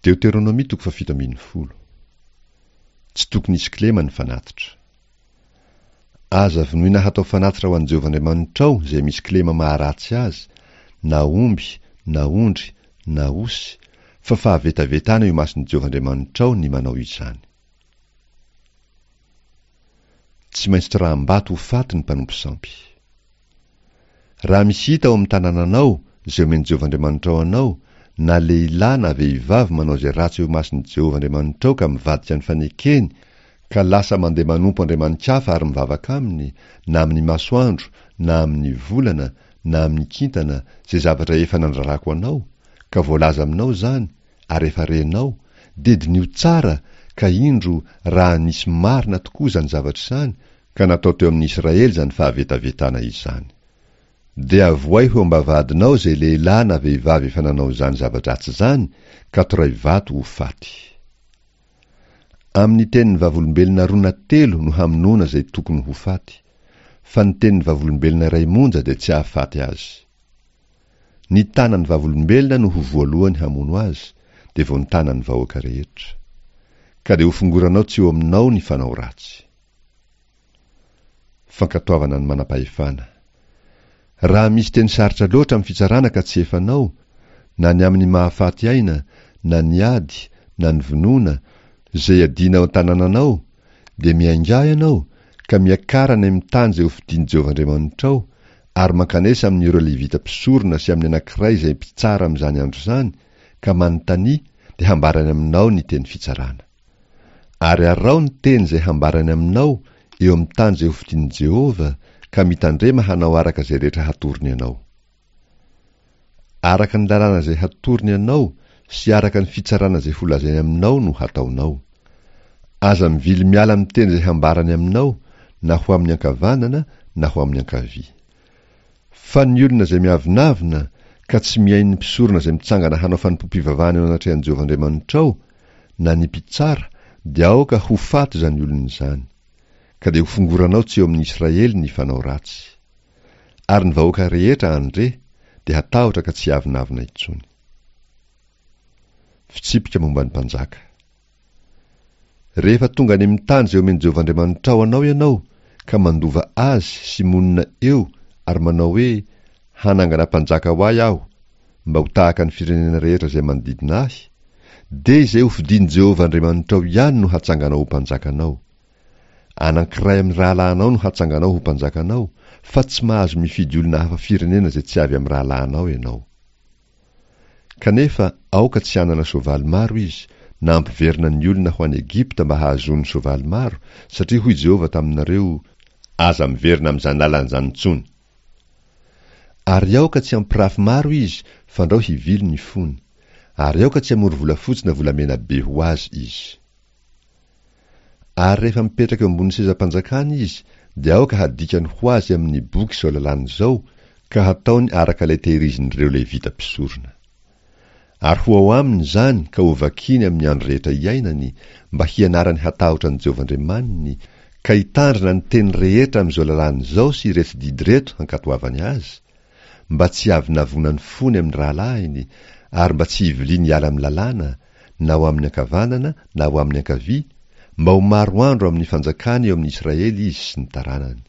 Deoteronomia toko fahafito ambin'ny folo. Tsy tokony hisy kilema ny fanatitra. Aza vonoina hatao fanatitra ho an'i Jehovah Andriamanitrao izay misy kilema maharatsy azy, na omby, na ondry, na osy, fa fahavetavetana eo imason'i Jehovah Andriamanitrao ny manao izany. Tsy maintsy toraham-bato ho faty ny mpanompo sampy. Raha misy hita ao amin'ny tanànanao izay omen'i Jehovah Andriamanitrao anao, na lehilahy na vehivavy manao izay ratsy eo imason'i Jehovah Andriamanitrao ka mivadika ny fanekeny ka lasa mandeha manompo andriamani-kafa ary mivavaka aminy, na amin'ny masoandro, na amin'ny volana, na amin'ny kintana, izay zavatra efa nandrarako anao, ka voalaza aminao izany, ary efa renao, dia diniho tsara, ka indro, raha nisy marina tokoa izany zavatra izany, ka natao teo amin'ny Israely izany fahavetavetana izany. Dia avoay ho eo am-bavahadinao izay lehilahy na vehivavy efa nanao izany zava-dratsy izany, ka toray vato ho faty. Amin'ny tenin'ny vavolombelona roa na telo no hamonoana izay tokony ho faty, fa ny tenin'ny vavolombelona iray monja dia tsy hahafaty azy. Ny tanan'ny vavolombelona no ho voalohany hamono azy, dia vao ny tanan'ny vahoaka rehetra. Ka dia hofongoranao tsy eo aminao ny fanao ratsy. Fankatoavana ny manam-pahefana. Raha misy teny sarotra loatra amin'ny fitsarana ka tsy efanao, na ny amin'ny mahafaty aina, na ny ady, na ny vonoana, izay iadiana ao an-tanànanao, dia miaingà ianao, ka miakara any amin'ny tany izay hofidian'i Jehovah Andriamanitrao, ary mankanesa amin'ireo Levita mpisorona sy amin'ny anankiray izay mpitsara amin'izany andro izany, ka manontania, dia hambarany aminao ny teny fitsarana. Ary araho ny teny izay hambarany aminao eo amin'ny tany izay hofidian'i Jehovah, ka mitandrema hanao araka izay rehetra hatorony anao. Araka ny lalàna izay hatorony anao sy araka ny fitsarana izay holazainy aminao no hataonao. Aza mivily miala amin'ny teny izay hambarany aminao, na ho amin'ny ankavanana na ho amin'ny ankavia. Fa ny olona izay miavonavona ka tsy mihaino ny mpisorona izay mitsangana hanao fanompoam-pivavahana eo anatrehan'i Jehovah Andriamanitrao, na ny mpitsara, dia aoka ho faty izany olona izany. Ka dia hofongoranao tsy eo amin'ny Israely ny fanao ratsy. Ary ny vahoaka rehetra handre, dia hatahotra ka tsy hiavonavona intsony. Fitsipika momba ny mpanjaka. Rehefa tonga any amin'ny tany izay omen'i Jehovah Andriamanitrao anao ianao, ka mandova azy sy monina eo ary manao hoe, 'Hanangana mpanjaka ho ahy aho, mba ho tahaka ny firenena rehetra izay manodidina ahy', dia izay hofidin'i Jehovah Andriamanitrao ihany no hatsanganao ho mpanjakanao. Anankiray amin'ny rahalahinao no hatsanganao ho mpanjakanao, fa tsy mahazo mifidy olona hafa firenena izay tsy avy amin'ny rahalahinao ianao. Kanefa aoka tsy hanana soavaly maro izy, na hampiverina ny olona ho any Egypta mba hahazoany soavaly maro, satria hoy Jehovah taminareo, Aza miverina amin'izany lalana izany intsony. Ary aoka tsy hampirafy maro izy, fandrao hivily ny fony. Ary aoka tsy hamory volafotsy na volamena be ho azy izy. Ary rehefa mipetraka eo ambonin'ny sezam-panjakana izy, dia aoka hadikany ho azy amin'ny boky izao lalàna izao, ka hataony araka ilay tehirizin'ireo Levita mpisorona. Ary ho ao aminy izany ka hovakiny amin'ny andro rehetra iainany, mba hianarany hatahotra an'i Jehovah Andriamaniny, ka hitandrina ny teny rehetra amin'izao lalàna izao sy ireto didy ireto hankatoavany azy, mba tsy hiavonavonan'ny fony amin'ny rahalahiny, ary mba tsy hiviliany hiala amin'ny lalàna, na ho amin'ny ankavanana na ho amin'ny ankavia, mba ho maro andro amin'ny fanjakany eo amin'ny Israely izy sy ny taranany.